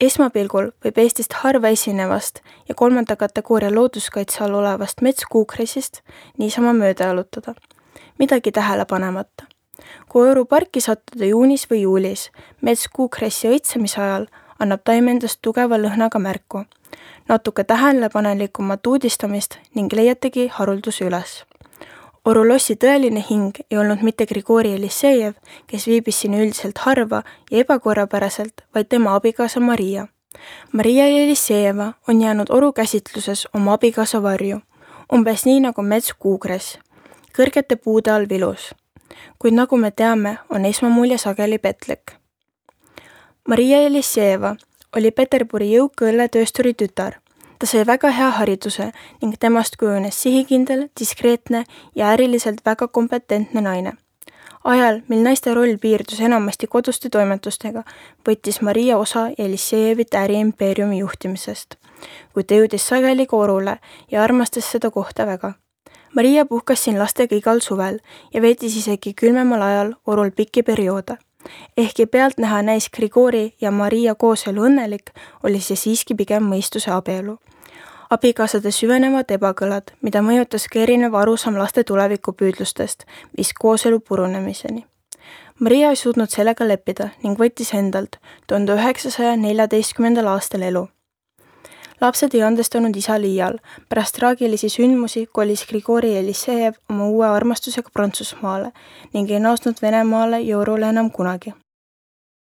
Esmapilgul võib Eestist harva esinevast ja 3. kategooria looduskaitse all olevast metskuukresist niisama mööda jalutada. Midagi tähele panemata. Kui Oru parki sattuda juunis või juulis, metskuukressi õitsemise ajal annab taim endast tugeva lõhnaga märku. Natuke tähelepanelikumat uudistamist ning leiategi harulduse üles. Oru lossi tõeline hing ei olnud mitte Grigori Elissejev, kes viibis siin üldiselt harva ja ebakorrapäraselt, vaid tema abikaasa Maria. Maria Elissejeva on jäänud Oru käsitluses oma abikaasa varju, umbes nii nagu metskuukress, kõrgete puude all vilus. Kuid nagu me teame, on esmamulje sageli petlik. Maria Elissejeva oli Peterburi jõuka õlletöösturi tütar. Ta sai väga hea hariduse ning temast kujunes sihikindel, diskreetne ja äriliselt väga kompetentne naine. Ajal, mil naiste roll piirdus enamasti koduste toimetustega, võttis Maria osa Elissejevite äriimpeeriumi juhtimisest, kuid ta jõudis sageli ka Orule ja armastas seda kohta väga. Maria puhkas siin lastega igal suvel ja veetis isegi külmemal ajal Orul pikki perioode. Ehkki pealtnäha näis Grigori ja Maria kooselu õnnelik, oli see siiski pigem mõistuse abielu. Abikaasade süvenevad ebakõlad, mida mõjutas ka erinev arusaam laste tulevikupüüdlustest, viis kooselu purunemiseni. Maria ei suutnud sellega leppida ning võttis endalt 1914. aastal elu. Lapsed ei andestanud isa liial. Pärast traagilisi sündmusi kolis Grigori Elissejev oma uue armastusega Prantsusmaale ning ei naasnud Venemaale ja Orule enam kunagi.